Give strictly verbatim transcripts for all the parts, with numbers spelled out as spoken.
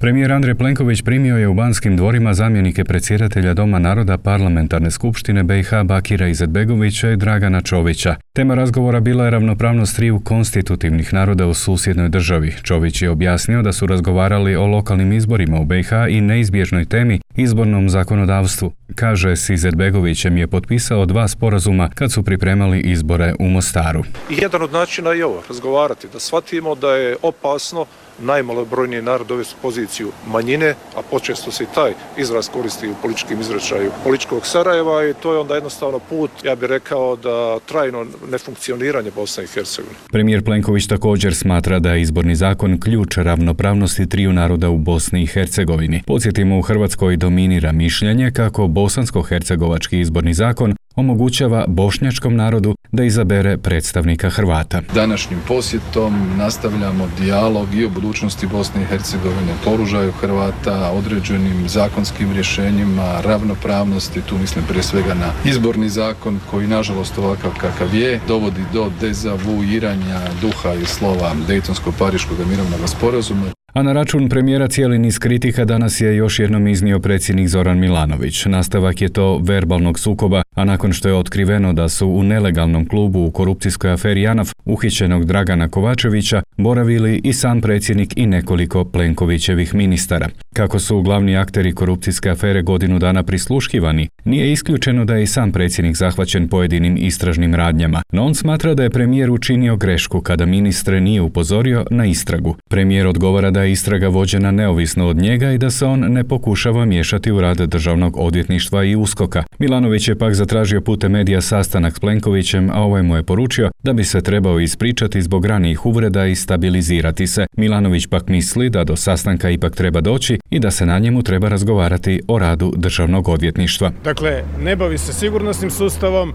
Premijer Andrej Plenković primio je u Banskim dvorima zamjenike predsjedatelja Doma naroda Parlamentarne skupštine B i H Bakira Izetbegovića i Dragana Čovića. Tema razgovora bila je ravnopravnost triju konstitutivnih naroda u susjednoj državi. Čović je objasnio da su razgovarali o lokalnim izborima u B i H i neizbježnoj temi izbornom zakonodavstvu. Kaže, s Izetbegovićem je potpisao dva sporazuma kad su pripremali izbore u Mostaru. I jedan od načina je ovo, razgovarati, da shvatimo da je opasno najmalobrojniji narod dovesti u poziciju manjine, a počesto se i taj izraz koristi u političkim izrečaju političkog Sarajeva i to je onda jednostavno put, ja bih rekao, da trajno nefunkcioniranje Bosne i Hercegovine. Premijer Plenković također smatra da je izborni zakon ključ ravnopravnosti triju naroda u Bosni i Hercegovini. Podsjetimo, u Hrvatskoj dominira mišljenje kako bosansko-hercegovački izborni zakon omogućava bošnjačkom narodu da izabere predstavnika Hrvata. Današnjim posjetom nastavljamo dijalog i o budućnosti Bosne i Hercegovine, položaju Hrvata, određenim zakonskim rješenjima, ravnopravnosti, tu mislim prije svega na izborni zakon koji nažalost ovakav kakav je, dovodi do dezavuiranja duha i slova Dejtonsko-Pariškog mirovnog sporazuma. A na račun premijera cijeli niz kritika danas je još jednom iznio predsjednik Zoran Milanović. Nastavak je to verbalnog sukoba, a nakon što je otkriveno da su u nelegalnom klubu u korupcijskoj aferi JANAF uhićenog Dragana Kovačevića boravili i sam predsjednik i nekoliko Plenkovićevih ministara. Kako su glavni akteri korupcijske afere godinu dana prisluškivani, nije isključeno da je i sam predsjednik zahvaćen pojedinim istražnim radnjama, no on smatra da je premijer učinio grešku kada ministre nije upozorio na istragu. Premijer odgovara da je istraga vođena neovisno od njega i da se on ne pokušava miješati u rad Državnog odvjetništva i USKOK-a. Milanović je pak zatražio putem medija sastanak s Plenkovićem, a ovaj mu je poručio da bi se trebao ispričati zbog ranijih uvreda i stabilizirati se. Milanović pak misli da do sastanka ipak treba doći i da se na njemu treba razgovarati o radu Državnog odvjetništva. Dakle, ne bavi se sigurnosnim sustavom,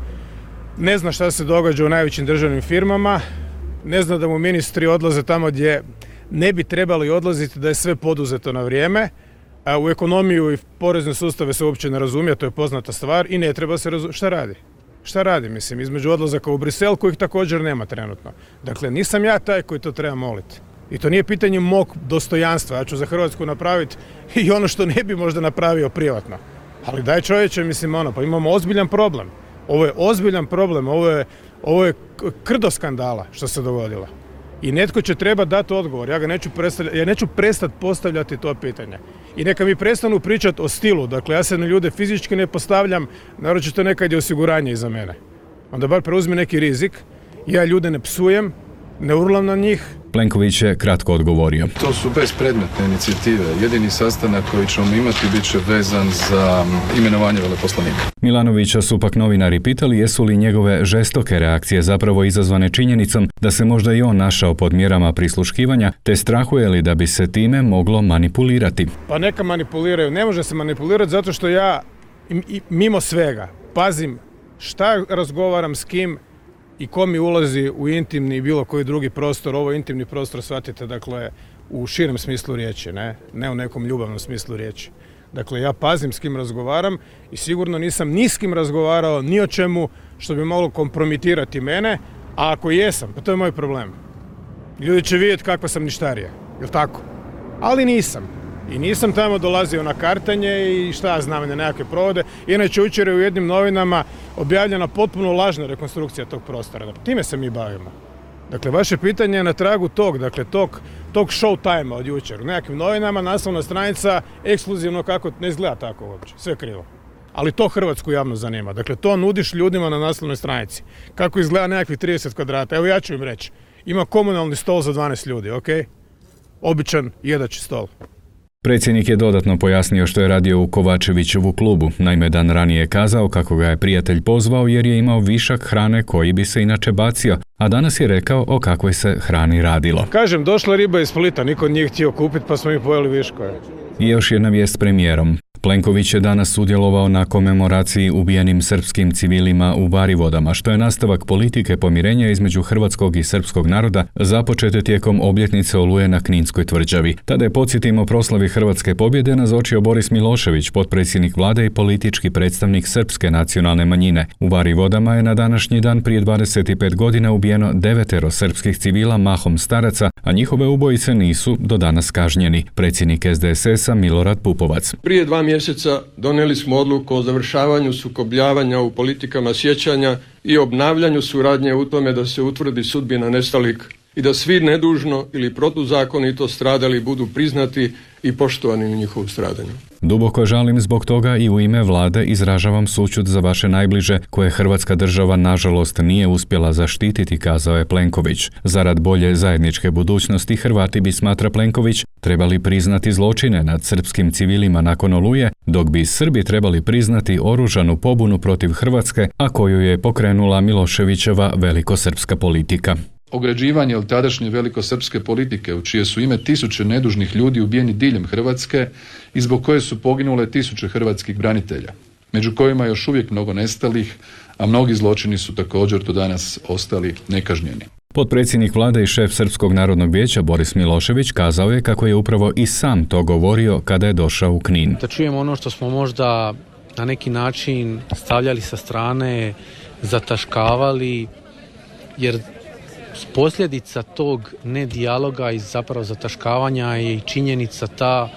ne zna šta se događa u najvećim državnim firmama, ne zna da mu ministri odlaze tamo gdje ne bi trebali odlaziti, da je sve poduzeto na vrijeme, a u ekonomiju i porezne sustave se uopće ne razumije, to je poznata stvar i ne treba se razumjeti. Šta radi? Šta radi, mislim, između odlazaka u Brisel kojih također nema trenutno. Dakle, nisam ja taj koji to treba moliti. I to nije pitanje mog dostojanstva, ja ću za Hrvatsku napraviti i ono što ne bi možda napravio privatno. Ali daj čovječe, mislim, ono, pa imamo ozbiljan problem. Ovo je ozbiljan problem, ovo je, ovo je krdo skandala što se dogodilo. I netko će treba dati odgovor, ja ga neću, ja neću prestati postavljati to pitanje. I neka mi prestanu pričati o stilu, dakle ja se na ljude fizički ne postavljam, naročito nekad je osiguranje iza mene. Onda bar preuzmi neki rizik, ja ljude ne psujem, ne urlam na njih. Plenković je kratko odgovorio. To su bespredmetne inicijative. Jedini sastanak koji ćemo imati bit će vezan za imenovanje veleposlanika. Milanovića su pak novinari pitali jesu li njegove žestoke reakcije zapravo izazvane činjenicom da se možda i on našao pod mjerama prisluškivanja, te strahuje li da bi se time moglo manipulirati. Pa neka manipuliraju. Ne može se manipulirati zato što ja mimo svega pazim šta razgovaram s kim i ko mi ulazi u intimni i bilo koji drugi prostor. Ovo intimni prostor shvatite, dakle, u širem smislu riječi, ne, ne u nekom ljubavnom smislu riječi. Dakle, ja pazim s kim razgovaram i sigurno nisam ni s kim razgovarao ni o čemu što bi moglo kompromitirati mene, a ako jesam, pa to je moj problem. Ljudi će vidjeti kakva sam ništarija, jel tako? Ali nisam. I nisam tamo dolazio na kartanje i šta ja znam, na nekakve provode. Inače, jučer je u jednim novinama objavljena potpuno lažna rekonstrukcija tog prostora. Dakle, time se mi bavimo. Dakle, vaše pitanje je na tragu tog, dakle, tog, tog show time-a od jučer. U nekakvim novinama naslovna stranica ekskluzivno kako, ne izgleda tako uopće, sve krivo. Ali to hrvatsku javno zanima. Dakle, to nudiš ljudima na naslovnoj stranici. Kako izgleda nekakvih trideset kvadrata. Evo ja ću im reći. Ima komunalni stol za dvanaest ljudi, ok? Običan jedači stol. Predsjednik je dodatno pojasnio što je radio u Kovačevićevu klubu. Naime, dan ranije je kazao kako ga je prijatelj pozvao jer je imao višak hrane koji bi se inače bacio, a danas je rekao o kakvoj se hrani radilo. Kažem, došla riba iz Splita, niko nije htio kupiti pa smo mi pojeli viškove. I još jedna vijest s premijerom. Plenković je danas sudjelovao na komemoraciji ubijenim srpskim civilima u Varivodama, što je nastavak politike pomirenja između hrvatskog i srpskog naroda započete tijekom obljetnice Oluje na Kninskoj tvrđavi. Tada je, podsjetimo, proslavi hrvatske pobjede nazočio Boris Milošević, potpredsjednik vlade i politički predstavnik srpske nacionalne manjine. U Varivodama je na današnji dan prije dvadeset pet godina ubijeno devetero srpskih civila, mahom staraca, a njihove ubojice nisu do danas kažnjeni. Predsjednik S D S S-a Milorad Pupovac. Prije dva mjeseca donijeli smo odluku o završavanju sukobljavanja u politikama sjećanja i obnavljanju suradnje u tome da se utvrdi sudbina nestalih i da svi nedužno ili protuzakonito stradali budu priznati i poštovani u njihovu stradanju. Duboko žalim zbog toga i u ime vlade izražavam sućut za vaše najbliže koje Hrvatska država nažalost nije uspjela zaštititi, kazao je Plenković. Zarad bolje zajedničke budućnosti Hrvati bi, smatra Plenković, trebali priznati zločine nad srpskim civilima nakon Oluje, dok bi Srbi trebali priznati oružanu pobunu protiv Hrvatske, a koju je pokrenula Miloševićeva velikosrpska politika. Ograđivanje od tadašnje velikosrpske politike, u čije su ime tisuće nedužnih ljudi ubijeni diljem Hrvatske i zbog koje su poginule tisuće hrvatskih branitelja, među kojima je još uvijek mnogo nestalih, a mnogi zločini su također do danas ostali nekažnjeni. Potpredsjednik vlade i šef Srpskog narodnog vijeća Boris Milošević kazao je kako je upravo i sam to govorio kada je došao u Knin. Da čujemo ono što smo možda na neki način stavljali sa strane, zataškavali, jer posljedica tog nedijaloga i zapravo zataškavanja je i činjenica ta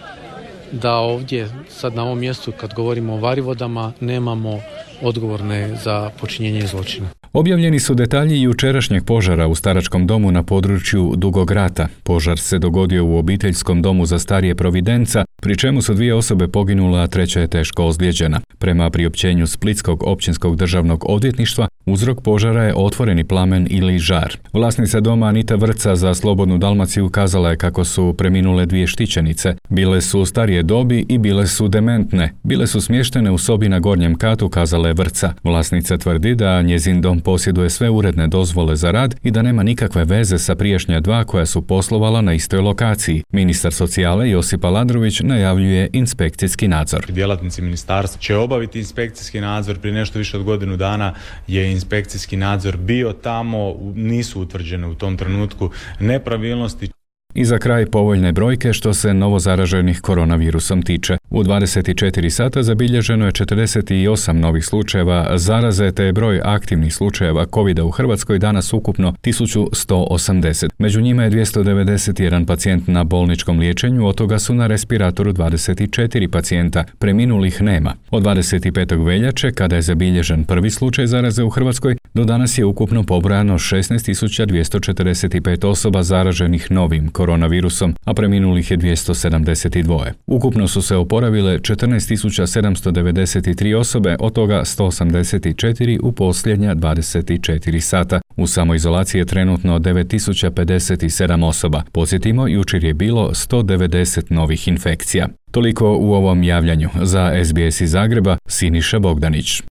da ovdje sad na ovom mjestu kad govorimo o Varivodama nemamo odgovorne za počinjenje zločina. Objavljeni su detalji jučerašnjeg požara u staračkom domu na području Dugog Rata. Požar se dogodio u obiteljskom domu za starije Providenca, pri čemu su dvije osobe poginule, a treća je teško ozlijeđena. Prema priopćenju Splitskog općinskog državnog odvjetništva, uzrok požara je otvoreni plamen ili žar. Vlasnica doma Anita Vrca za Slobodnu Dalmaciju kazala je kako su preminule dvije štićenice. Bile su starije dobi i bile su dementne. Bile su smještene u sobi na gornjem katu, kazala je Vrca. Vlasnica tvrdi da njezin dom posjeduje sve uredne dozvole za rad i da nema nikakve veze sa prijašnja dva koja su poslovala na istoj lokaciji. Ministar socijale Josip Aladrović najavljuje inspekcijski nadzor. Djelatnici ministarstva će obaviti inspekcijski nadzor. Prije nešto više od godinu dana je inspekcijski nadzor bio tamo, nisu utvrđene u tom trenutku nepravilnosti. I za kraj povoljne brojke što se novozaraženih koronavirusom tiče. U dvadeset četiri sata zabilježeno je četrdeset osam novih slučajeva zaraze, te je broj aktivnih slučajeva kovida u Hrvatskoj danas ukupno tisuću sto osamdeset. Među njima je dvjesto devedeset jedan pacijent na bolničkom liječenju, od toga su na respiratoru dvadeset četiri pacijenta, preminulih nema. Od dvadeset petog veljače, kada je zabilježen prvi slučaj zaraze u Hrvatskoj, do danas je ukupno pobrojano šesnaest tisuća dvjesto četrdeset pet osoba zaraženih novim koronavirusom, a preminulih je dvjesto sedamdeset dva. Ukupno su se oporavile četrnaest tisuća sedamsto devedeset tri osobe, od toga sto osamdeset četiri u posljednja dvadeset četiri sata. U samoizolaciji je trenutno devet tisuća pedeset sedam osoba. Podsjetimo, jučer je bilo sto devedeset novih infekcija. Toliko u ovom javljanju. Za S B S iz Zagreba, Siniša Bogdanić.